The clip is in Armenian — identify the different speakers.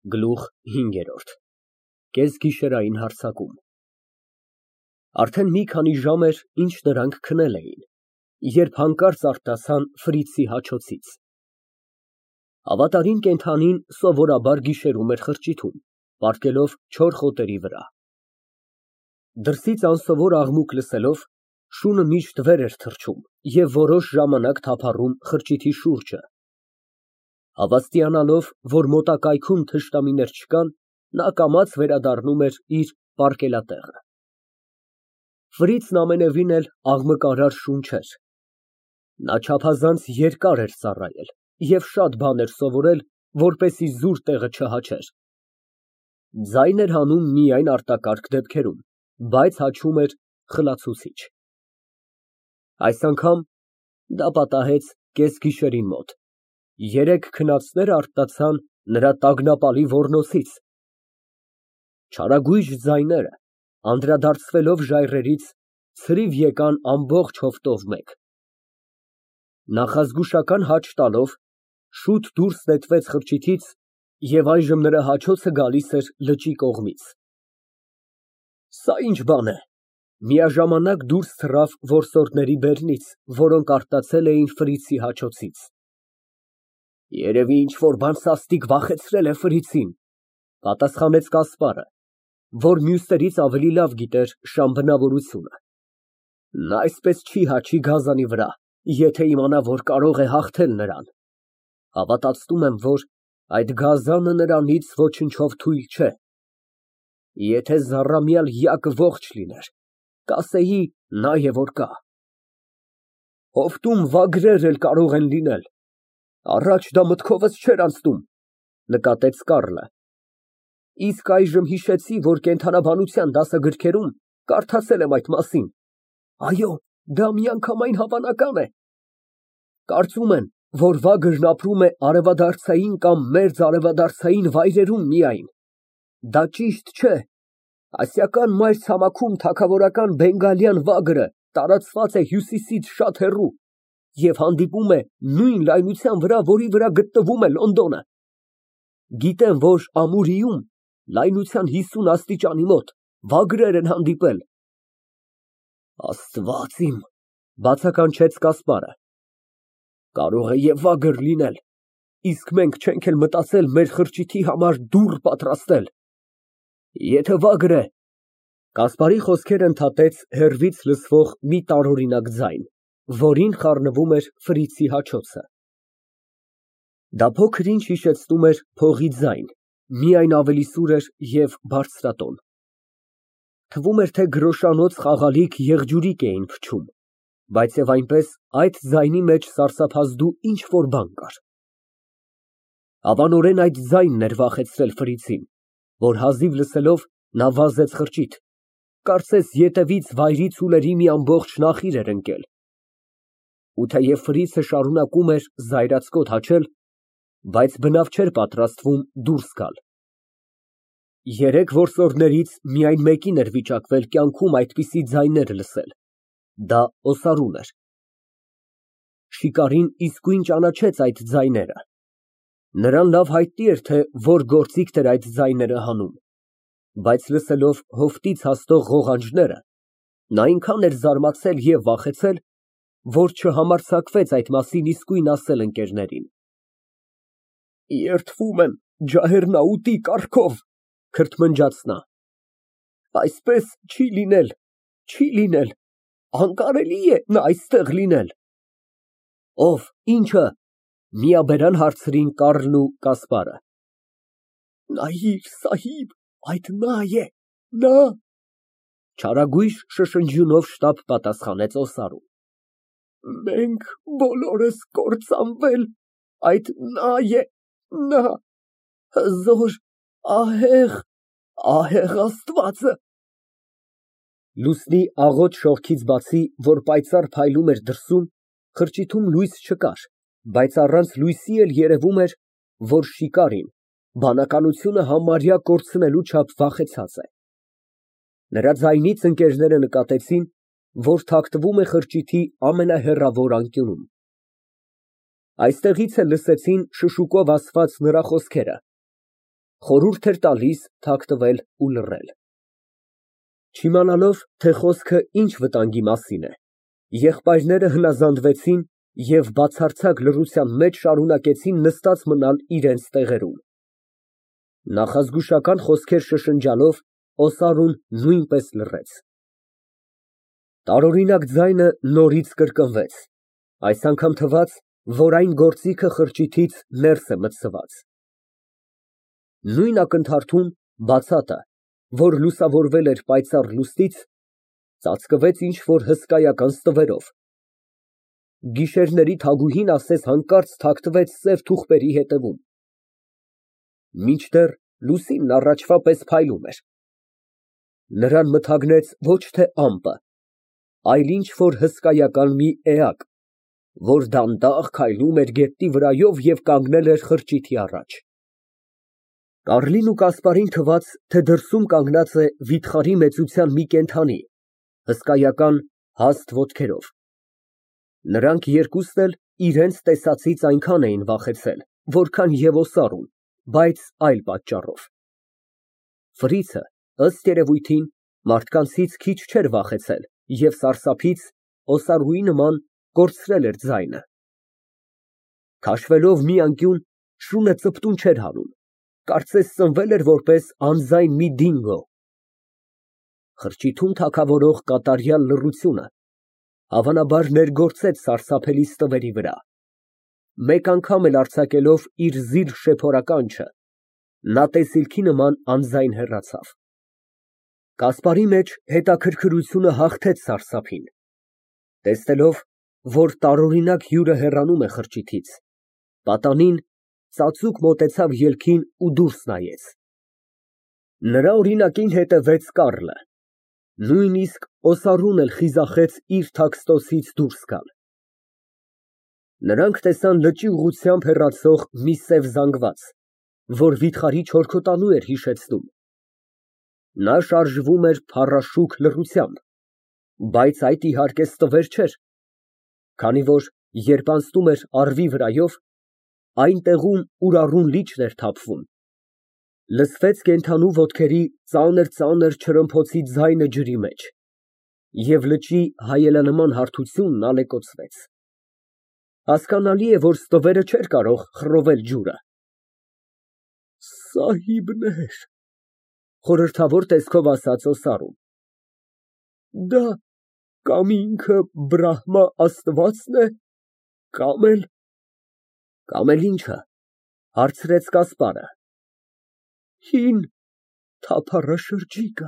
Speaker 1: Գլուխ հինգերորդ Կեսգիշերային հարձակում Արդեն մի քանի ժամ էր, ինչ նրանք քնել էին, երբ հանկարծ արտասան Ֆրիցի հաչոցից։ Հավատարիմ կենդանին սովորաբար գիշերում էր խրճիթում, պառկելով չոր խոտերի վրա։ Դրսից անսովոր աղմուկ լսելով, շունը միշտ վեր էր թռչում և որոշ ժամանակ թափառում խրճիթի շուրջը։ Հավաստիանալով, որ մոտակայքում թշնամիներ չկան, նա կամաց վերադառնում էր իր պառկելատեղը։ Ֆրիցն ամենևին էլ աղմկարար շուն չէր։ Նա չափազանց երկար էր ծառայել և շատ բան էր սովորել, որպեսզի զուր տեղը չհաչեր։ Ձայն էր հանում միայն արտակարգ դեպքերում, բայց հաչում էր խլացուցիչ։ Այս անգամ դա պատահեց կեսգիշերին մոտ, երեկ քնածները արթնացան նրա տագնապալի ոռնոցից։ Չարագույժ ձայները, անդրադարձվելով ժայռերից, ցրիվ եկան ամբողջ հովտով մեկ։ Նախազգուշական աջ տալով, շուտ դուրս նետվեց խրճիթից և այժմ նրա հաչոցը գալիս էր լճի կողմից։ Սա ինչ բան է։ Միաժամանակ դուրս թռավ որսորդների բերնից, որոնք արտացել էին Ֆրիցի հաչոցից։ Երևի ինչ֊որ բան սաստիկ վախեցրել է Ֆրիցին, պատասխանեց Կասպարը, որ մյուսներից ավելի լավ գիտեր շան բնավորությունը։ Նա այսպես չի հաչի գազանի վրա, եթե իմանա, որ կարող է հաղթել նրան։ Հավատացնում եմ, որ այդ գազանը նրանից ոչնչով թույլ չէ։ Եթե զառամյալ յակը ողջ լիներ, կասեի, նա է որ կա։ Հովտում վագրեր էլ կարող են լինել, առաջ դա մտքովս չէր անցնում, նկատեց Կառլը։ Իսկ այժմ հիշեցի, որ կենդանաբանության դասագրքերում կարդացել եմ այդ մասին։ Այո, դա միանգամայն հավանական է։ Կարծում են, որ վագրն ապրում է արևադարձային կամ մերձարևադարձային վայրերում միայն։ Դա ճիշտ չէ։ Ասիական մայրցամաքում թագավորական բենգալյան վագրը տարածված է հյուսիսից շատ հեռու և հանդիպում է նույն լայնության վրա, որի վրա գտնվում է Լոնդոնը։ Գիտեմ, որ Ամուրիում լայնության 50 աստիճանի մոտ վագրեր են հանդիպել։ Աստված իմ, բացականչեց Կասպարը։ Կարող է և վագր լինել, իսկ մենք չենք էլ մտածել մեր խրճիթի համար դուռ պատրաստել։ Եթե վագր է… Կասպարի խոսքերը ընդհատեց հեռվից լսվող մի տարօրինակ ձայն, որին խառնվում էր Ֆրիցի հաչոցը։ Դա փոքր֊ինչ հիշեցնում էր փողի ձայն, միայն ավելի սուր էր և բարձրատոն։ Թվում էր, թե գրոշանոց խաղալիք եղջյուրիկ էին փչում, բայց և այնպես այդ ձայնի մեջ սարսափազդու ինչ֊որ բան կար։ Հավանորեն այդ ձայնն էր վախեցրել Ֆրիցին, որ հազիվ լսելով նա վազեց խրճիթ, կարծես ետևից վայրի ցուլերի մի ամբողջ նախիր էր ընկել։ Ու թեև Ֆրիցը շարունակում էր զայրացկոտ հաչել, բայց բնավ չէր պատրաստվում դուրս գալ։ Երեք որսորդներից միայն մեկին էր վիճակվել կյանքում այդպիսի ձայներ լսել, դա օսարուն էր։ Շիկարին իսկույն ճանաչեց այդ ձայները։ Նրան լավ հայտնի էր, թե որ գործիքն էր այդ ձայները հանում, բայց լսելով հովտից հասնող ղողանջները, նա այնքան էր զարմացել և վախեցել, որ չհամարձակվեց այդ մասին իսկույն ասել ընկերներին։ Երդվում եմ ջահեռնաուտի կառքով, քրթմնջաց նա։ Այսպես չի լինել, չի լինել, անկարելի է նա այստեղ լինել։ Ո՞վ, ի՞նչը, միաբերան հարցրին Կառլն ու Կասպարը։ Նայիր, սահիբ, այդ նա է, նա… Չարագույժ շշնջյունով շտապ պատասխանեց օսարուն։ Մենք բոլորս կործանվել, այդ նա է, նա… Հզոր, ահեղ, ահեղ Աստվածը… Լուսնի աղոտ շողքից բացի, որ պայծառ փայլում էր դրսում, խրճիթում լույս չկար, բայց առանց լույսի էլ երևում էր, որ շիկարին բանականությունը համարյա կորցնելու չափ վախեցած է։ Նրա ձայնից ընկերները նկատեցին, որ թաքնվում է խրճիթի ամենահեռավոր անկյունում։ Այստեղից էլ լսեցին շշուկով ասված նրա խոսքերը։ Խորհուրդ էր տալիս թաքնվել ու լռել։ Չիմանալով, թե խոսքը ինչ վտանգի մասին է, եղբայրները հնազանդվեցին և բացարձակ լռության մեջ շարունակեցին նստած մնալ իրենց տեղերում։ Նախազգուշական խոսքեր շշնջալով օսարուն նույնպես լռեց։ Տարօրինակ ձայնը նորից կրկնվեց, այս անգամ թվաց, որ այն գործիքը խրճիթից ներս է մտսված։ Նույն ակնթարթում բացատը, որ լուսավորվել էր պայծառ լուսնից, ծածկվեց ինչ֊որ հսկայական ստվերով։ Գիշերների թագուհին ասես հանկարծ թաքնվեց սև թուղթերի ետևում։ Մինչդեռ լուսինն առաջվա պես փայլում էր։ Նրան մթագնեց ոչ թե ամպը, այլ ինչ֊որ հսկայական մի էակ, որ դանդաղ քայլում էր գետնի վրայով և կանգնել էր խրճիթի առաջ։ Կառլին ու Կասպարին թվաց, թե դրսում կանգնած է վիթխարի մեծության մի կենդանի, հսկայական, հաստ ոտքերով։ Նրանք երկուսն էլ իրենց տեսածից այնքան էին վախեցել, որքան և օսարուն, բայց այլ պատճառով։ Ֆրիցը, ըստ երևույթին, մարդկանցից քիչ չէր վախեցել և սարսափից, օսարուի նման, կորցրել էր ձայնը։ Քաշվելով մի անկյուն, շունը ծպտուն չէր հանում, կարծես ծնվել էր որպես անձայն մի դինգո։ Խրճիթում թագավորող կատարյալ լռությունը, հավանաբար, ներգործեց սարսափելի ստվերի վրա։ Մեկ անգամ էլ արձակելով իր զիլ շեփորականչը, նա տեսիլքի նման անձայն հեռացավ։ Կասպարի մեջ հետաքրքրությունը հաղթեց սարսափին։ Տեսնելով, որ տարօրինակ հյուրը հեռանում է խրճիթից, պատանին ծածուկ մոտեցավ ելքին ու դուրս նայեց։ Նրա օրինակին հետևեց Կառլը, նույնիսկ օսարուն էլ խիզախեց իր թաքստոցից դուրս գալ։ Նրանք տեսան լճի ուղղությամբ հեռացող մի սև զանգված, որ վիթխարի չորքոտանու էր հիշեցնում։ Նա շարժվում էր փառաշուք լռությամբ, բայց այդ իհարկե ստվեր չէր, քանի որ, երբ անցնում էր առվի վրայով, այն տեղում ուրառուն լիճն էր թափվում, լսվեց կենդանու ոտքերի ծանր չրմփոցի ձայնը ջրի մեջ, և լճի հայելանման հարթությունն ալեկոծվեց։ Հասկանալի է, որ ստվերը չէր կարող խռովել ջուրը։ Սահիբներ, խորհրդավոր տեսքով ասաց օսարուն, դա կամ ինքը Բրահմա աստվածն է, կամ էլ ինչը, հարցրեց Կասպարը։ Հին թափառաշրջիկը։